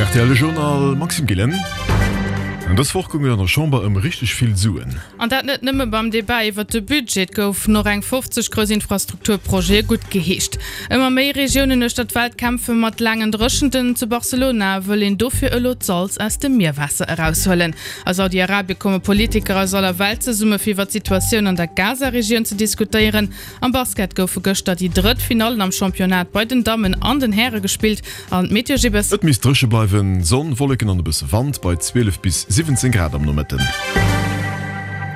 Rtl Journal Maxime Gillen. Dës Woch goung et an der Chamber ëm richteg vill Suen. An dat net nëmme beim Debat iwwert de Budget. Et goufen och eng 50 grouss Infrastrukturprojete guttgeheescht. Ëmmer méi Regiounen uechter d'Welt kämpfe mat laangen Dréchenten. Zu Barcelona wëll een dofir elo d'Salz aus dem Mierwaasser eraushuelen. A Saudi-Arabie komme Politiker aus aller Welt zesumme fir iwwer d'Situatioun an der Gaza-Regioun ze diskutéieren. Am Basket goufe gëschter déi drëtt Finallen am Championnat bei den Dammen an den Häre gespillt an d'Meteo Gibbes. Et misst dréche bleiwen, Sonn, Wolleken an e bësse Wand bei 12 bis 17 Grad am Nomëtten.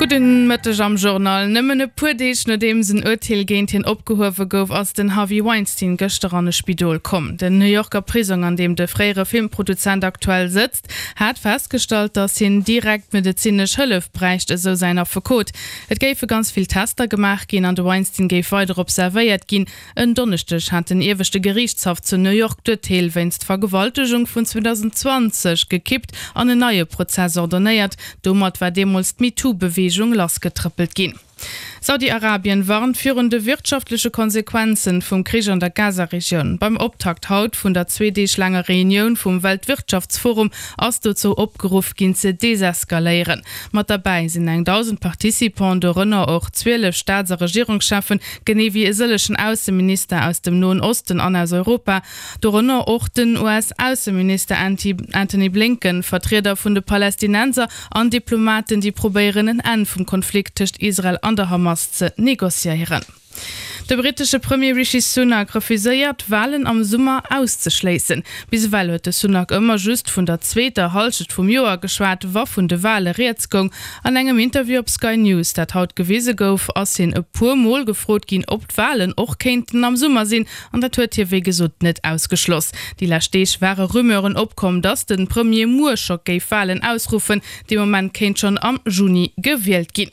Gudden Mëtteg am Journal. Nëmmen e puer Deeg nodeems en Urteel géint hien opgehuewe gouf, ass den Harvey Weinstein gëschter an e Spidol komm. Den New Yorker Prisong, an deem de fréiere Filmproduzent aktuell sëtzt, hat festgestallt, datt hien direkt medezinesch Hëllef bräicht, esou säin Affekot. Et géife ganz vill Tester gemaach ginn an de Weinstein géif weider observéiert ginn. En Donneschdeg hat den ieweschte Geriichtshaff zu New York d'Urteel wéinst Vergewaltegung vun 2020 gekippt an en neie Prozess ordonnéiert. Domat war deemools d'MeToo-Beweegung lassgetrëppelt ginn. Saudi-Arabien warnt virun de wirtschaftleche Konsequenzen vum Krich an der Gaza-Regioun. Beim Optakt haut vun der zwee Deeg laanger Reunioun vum Weltwirtschaftsforum ass dozou opgeruff ginn ze deseskaléieren. Mat derbäi sinn eng 1.000 Participants, dorënner och 12 Staats a Regierungscheffen, genee wéi e sëllechen Ausseminister aus dem Noen Osten an aus Europa, dorënner och den US-Ausseminister Antony Blinken, Vertrieder vun de Palästinenser an Diplomaten, déi probéieren en Enn vum Konflikt tëscht Israel an der Hamas ze negociéieren. De brittesche Premier Rishi Sunak refuséiert, Walen am Summer auszeschléissen. Bis ewell huet de Sunak ëmmer just vun der zweeter Hallschent vum Joer geschwat, wa vun de Wale rieds goung. An engem Interview op Sky News, dat haut gewise gouf, ass hien e puer Mol gefrot ginn, ob d'Walen och kéinten am Summer sinn, an dat huet hie wéi gesot net ausgeschloss. Déi lescht Deeg ware Rumeuren opkomm, datt de Premier muer scho géif Walen ausruffen. Dee Moment kéint schonn am Juni gewielt ginn.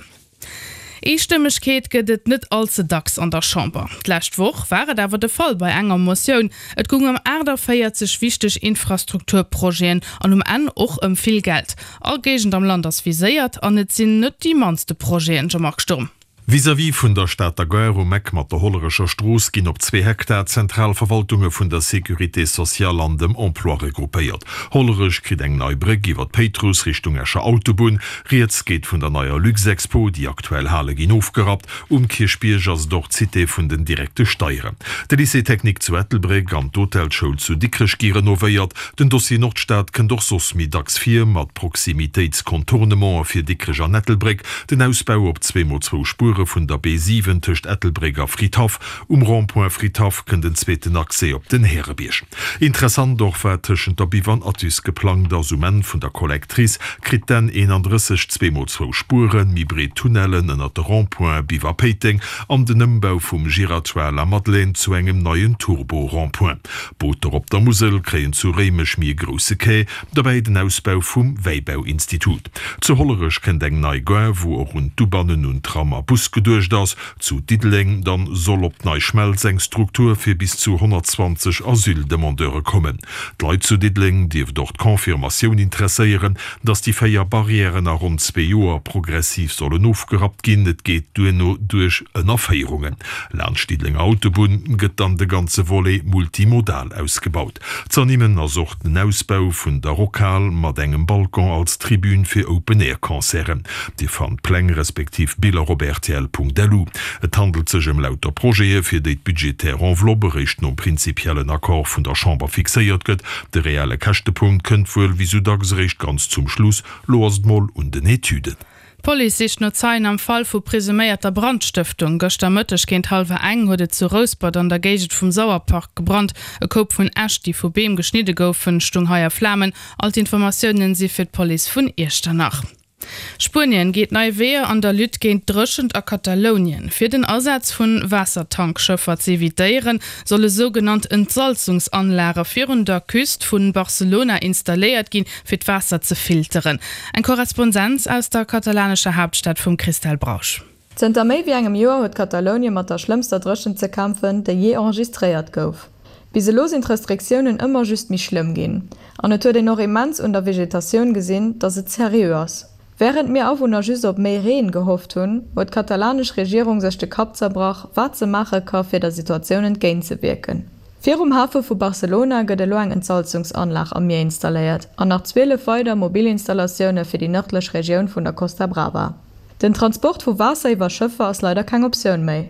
Eestëmmegkeet gëtt et net all ze dacks an der Chamber. D'lescht Woch war et awer de Fall bei enger Motioun. Et goung ëm 48 wichteg Infrastrukturprojeten an um Enn och ëm vill Geld. All Géigend am Land ass viséiert an et sinn net déi mannste Projeten, Jean-Marc Sturm. Vis-à-vis vun der Stater Gare um Eck mat der Hollerecher Strooss ginn op zwee Hektar d'zentral Verwaltunge vun der Sécurité sociale an dem Emploi regroupéiert. Hollerech kritt eng nei Bréck iwwer d'Péitruss Richtung Escher Autobunn. Rieds geet vun der neier Luxexpo, déi aktuell Hale ginn ofgerappt. Um Kierchbierg ass et och d'Cité vun den direkte Steieren. De Lycée technique zu Ettelbréck an d'Hotelschoul zu Dikrech gi renovéiert. Den Dossier Nordstad kënnt och soss méi dacks vir, mat Proximitéitscontournemente fir Dikrech an Ettelbréck, den Ausbau op zweemol zwou Spuere vun der B7 tëscht Ettelbréck a Fridhaff, Um Rond-point Fridhaff kënnt en zweeten Accès op den Härebierg. Interessant och wat tëschent der Biw an Athus geplangt ass. Um Enn vun der Collectrice kritt d'N 31 zweemol zwou Spueren, méi breet Tunnellen ënnert de Rond-points Biw a Péiteng an den Ëmbau vum Giratoire Lamadelaine zu engem neien Turbo-Rond-point. Booter op der Musel kréien zu Réimech méi e grousse Quai, dobäi den Ausbau vum Wäibauinstitut. Zu Hollerech kënnt eng nei Gare, wou och un d'Ubannen un Tram a Bus geduecht ass. Zu Diddeleng dann soll op d'Neischmelz eng Struktur fir bis zu 120 Asyldemandeure kommen. D'Leit zu Diddeleng dierft och d'Confirmatioun interesséieren, datt déi 4 Barrièren a ronn zwee Joer progressiv sollen ofgerappt ginn. Et geet duerno duerch Ënnerféierungen. Laanscht Diddelenger Autobunn gëtt dann de ganze Volet multimodal ausgebaut. Z'ernimmen ass och den Ausbau vun der Rockhal mat engem Balcon als Tribün fir Open-Air-Concerten. Dir fannt Pläng respektiv Biller op rtl.lu. Et handelt sech ëm lauter Projete fir déi d'budgetär Enveloppe eréischt nom prinzipiellen Accord vun der Chamber fixéiert gëtt. De reelle Käschtepunkt kënnt wuel wéi sou dacks eréischt ganz zum Schluss. Lo ass et mol un den Etüden. D'Police sicht no Zeien am Fall vu presuméierter Brandstëftung. Gëschter Mëtteg géint hallwer eng huet et zu Rouspert an der Géigend vum Sauerpark gebrannt. E Koup vun Äscht, déi vu Beem geschnidde goufen, stung hei a Flamen. All d'Informatiounen si fir d'Police vun Iechternach. Spuenien geet nei Weeër an der Lutte géint d'Dréchent a Katalounien. Fir den Asaz vu Waassertankschëffer ze evitéieren, solle sougenannt Entsalzungsanlage virun der Küst vu Barcelona installéiert ginn, fir d'Waasser ze filteren. Eng Korrespondenz aus der katalanescher Haaptstad vum Christelle Brausch. Zënter méi wéi engem Joer huet Katalounie mat der schlëmmster Dréchent ze kämpfen, déi jee enregistréiert gouf. Bis elo sinn d'Restriktiounen ëmmer just méi schlëmm ginn. An et huet een och immens un der Vegetatioun gesinn, datt et seriö ass. Wärend mir Awunner just op méi Reen gehofft hunn, huet d'katalanesch Regierung sech de Kapp zerbrach, wat se maache ka fir der Situatioun entgéintzewierken. Virum Hafe vu Barcelona gëtt elo eng Entsalzungsanlag am Mier installéiert an nach 12 weider mobil Installatioune fir déi nërdlech Regioun vun der Costa Brava. Den Transport vu Waasser iwwer Schëffer ass leider keng Optioun méi.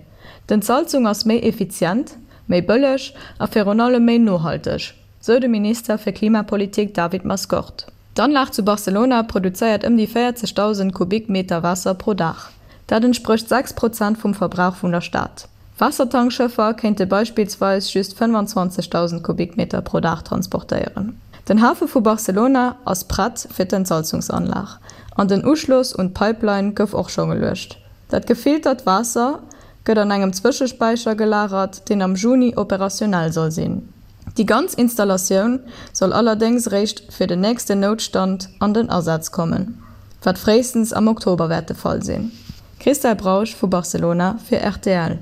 D'Entsalzung ass méi effizient, méi bëlleg a virun allem méi nohalteg, sou de Minister fir Klimapolitik David Mascort. D'Anlag zu Barcelona produzéiert ëm déi 40.000 Kubikmeter Waasser pro Dag. Dat entsprécht 6 Prozent vum Verbrauch vun der Stad. Waassertankschëffer kéinte beispillsweis just 25.000 Kubikmeter pro Dag transportéieren. Den Hafe vu Barcelona ass prett fir d'Entsalzungsanlag an den Uschloss un d'Pipeline gouf och scho geluecht. Dat gefiltert Waasser gëtt an engem Zwëschespäicher gelagert, deen am Juni operationell soll sinn. Déi ganz Installatioun soll allerdéngs eréischt fir den nächsten Noutstand an den Asaz kommen, wat fréistens am Oktober wäert de Fall sinn. Christelle Brausch vu Barcelona fir rtl.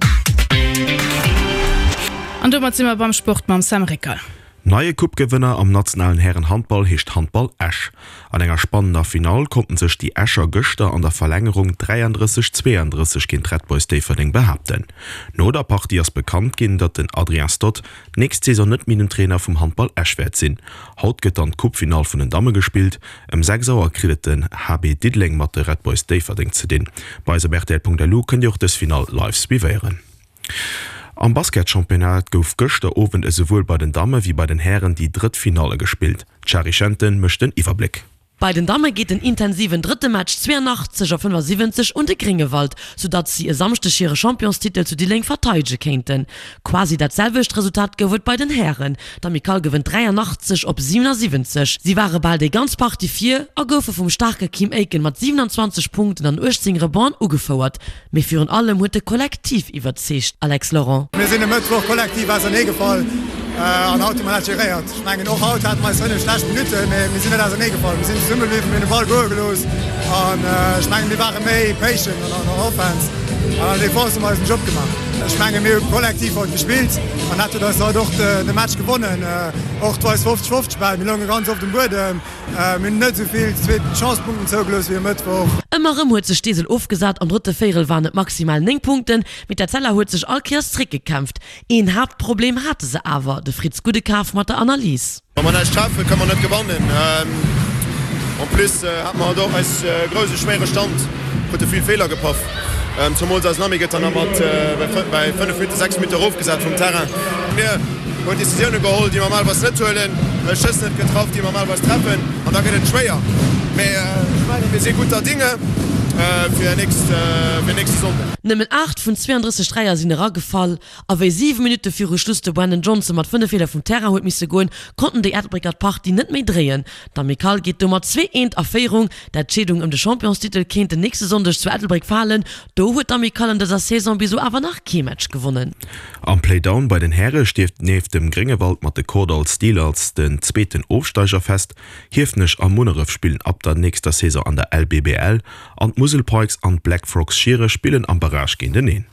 An domat si mer beim Sport mam Sam Rickel. Neie Coupe-Gewënner am nationalen Hären-Handball heescht Handball Esch. An enger spannender Finall konnten sech déi Escher gëschter an der Verlängerung 33, 32 géint d'Red Boys Déifferdeng behaapten. No der Partie ass bekannt ginn, datt den Adrien Stott d'nächst Saison net méi den Trainer vum Handball Esch wäert sinn. Haut gëtt dann d'Coupe-Finall vun den Damme gespillt. Ëm 6 Auer kritt et den HB Diddeleng mat de Red Boys Déifferdeng ze dinn. Bei eis op rtl.lu kënnt Dir och dës Finall live suivéieren. Am Basketchampionnat gouf gëschter Owend esouwuel bei den Damme wéi bei den Hären déi drëtt Finalle gespillt. D'Shari Schenten mécht den Iwwerbléck. Bei den Damme geet den intensiven drëtte Match 82 op 75 un de Gréngewald, soudatt si e Samschdeg hire Championstitel zu Diddeleng verteidege kéinten. Quasi dat selwecht Resultat gouf et bei den Hären. D'Amicale gewënnt 83 op 77. Si ware bal déi ganz Partie vir a goufe vum staarke Kim Aiken mat 27 Punkten an 18 Rebonds ugefouert. Mee virun allem huet de Kollektiv iwwerzeegt, Alex Laurent. Mir sinn e Mëttwoch kollektiv auserneegefall an haut hu mer dat geréiert. Ech mengen, och haut hate mer eis 5 schlecht Minutten, mee mir sinn net auserneegefall. Mir sinn zesummebliwwen, mir hunn de Ball goe gelooss an ech mengen, mir ware méi patient an der Offense an an der Defense hu mer eisen Job gemaach. Ech mengen, mir hu kollektiv haut gespillt an dat huet eis haut och de Match gewonnen. Och eis 50 50 Bäll, mir lounge ganz oft um Buedem. Mir hunn net esou vill zweet Chance-Punkten zougelooss wéi e Mëttwoch. Ëmmer erëm huet sech d'Eesel ofgesat, am drëtte Véierel waren et maximal 9 Punkten, mee d'Etzella huet sech all Kéiers zréckgekämpft. Een Haaptproblem hate se awer, de Fritz Gudekaf mat der Analys. Wa mer näischt treffen, kënne mer net gewannen. En plus hate mer haut och eis grouse schwéiere Stand, krute vill Feeler gepaff. Zumools eisen Ami gëtt dann nach mat bäi 5 Minutten, 6 Minutten erofgesat vum Terrain. Mir hunn Decisioune geholl, déi mer normalerweis net huelen, Schëss net getraff, déi mer normalerweis treffen an da gëtt et schwéier. Mee ech mengen, mir si gutter Dinge fir nächste Sonnden. Nëmmen 8 vun 32 Dräier sinn eragefall a wéi 7 Minutte viru Schluss de Brandon Johnson mat 5 Feeler vum Terrain huet misse goen, konnten déi Ettelbrécker d'Partie net méi dréien. D'Amicale geet domat 2, Eent a Féierung. D'Entscheedung ëm de Championstitel kéint den nächste Sonndeg zu Ettelbréck falen. Do huet d'Amicale an dëser Saison bis elo awer nach kee Match gewonnen. Am Playdown bei den Häre steet nieft dem Gréngewald mat de Kordall Steelers den zweeten Ofsteiger fest. Hiefenech a Munneref spillen ab der nächster Saison an der LBBL an d'Musel Pikes an d'Black Frogs Schiere spillen am Barrage géinteneen.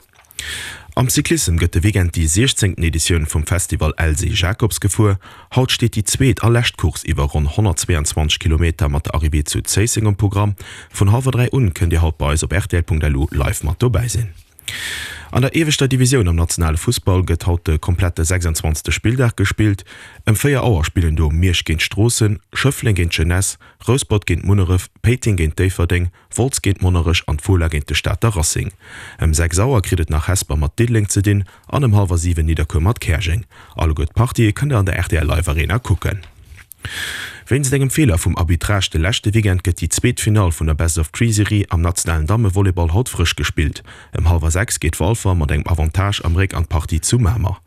Am Cyclissem gëtt de Weekend déi siechzéngten Editioun vum Festival Elsy Jacobs gefuer. Haut steet déi zweet a lescht Course iwwer ronn 122 Kilometer mat der Arrivée zu Zéisseng um Programm. Vun hallwer 3 un kënnt Dir haut bei eis op rtl.lu live mat dobäi sinn. An der ieweschter Divisioun am nationale Fussball gëtt haut de komplette 26. Spilldag gespillt. Ëm 4 Auer spillen do Miersch géint Stroossen, Schëffleng géint d'Jeunesse, Rouspert géint Munneref, Péiteng géint Déifferdeng, Wolz géint Monnerech an d'Fola géint de Stater Racing. Ëm 6 Auer kritt et nach Hesper mat Diddeleng ze dinn an ëm hallwer 7 Nidderkuer mat Käerjeng. Alleguer d'Partië kënnt der an der rtl Live Arena kucken. Wéinst engem Feeler vum Arbitrage de leschte Weekend gëtt déi zweet Finall vun der Best of Three Serie am nationalen Dammevolleyball haut frësch gespillt. Ëm hallwer 6 geet Walfer mat engem Avantage am Réck an d'Partie zu Mamer.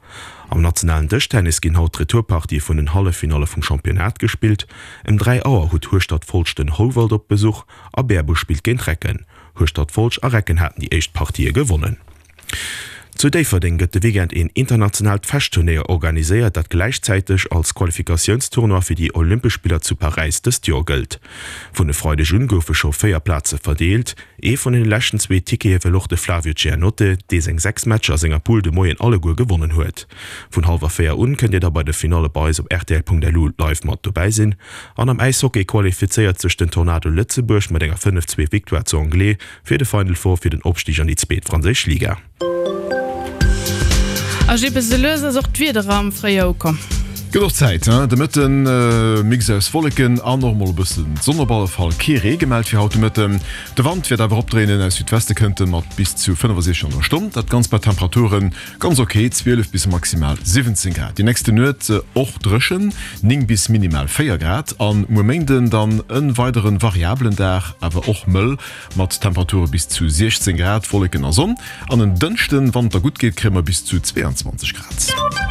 Am nationalen Dëschtennis ginn haut d'Retourpartië vun den Halleffinalle vum Championnat gespillt. Ëm 3 Auer huet Hueschtert-Folscht den Houwald op Besuch a Bäerbusch spillt géint Recken. Hueschtert-Folscht a Recken haten déi éischt Partië gewonnen. Zu Déifferdeng gëtt de Weekend een internationaalt Fechtturnéier organiséiert, dat gläichzäiteg als Qualifikatiounstournoi fir déi Olympesch Spiller zu Paräis dëst Joer gëllt. Vun e Freideg un goufe scho 4 Plaze verdeelt. Ee vun den leschten zwee Tickete wëll och de Flavio Giannotte, dee seng 6 Matcher a senger Poule de Moien alleguer gewonnen huet. Vun hallwer 4 un kënnt Dir da bei de Finalle bei eis op rtl.lu live mat dobäi sinn. An am Äishockey qualifizéiert sech den Tornado Lëtzebuerg mat enger 5, 2 Victoire zu Anglet fir de Final Four fir den Opstig an déi zweet franséisch Liga. A Jippe sou lues ass och d'Wieder am Fréijoer ukomm. Gëtt och Zäit, hein? De Mëtten Mix aus Wolleken an och mol e bëssen Sonn op alle Fall. Kee Ree gemellt fir haut de Mëtten. De Wand wäert awer opdréinen, aus Südweste kënnt e mat bis zu 65 an der Stonn. Dat Ganzt bei Temperaturen ganz ok, 12 bis maximal 17 Grad. Déi nächste Nuet och dréchen, 9 bis minimal 4 Grad. An muer Méinden dann e weidere variabelen Dag, awer och mëll mat Temperature bis zu 16 Grad, Wolleken a Sonn. An en Dënschden, wann et da gutt geet, kréie mer bis zu 22 Grad.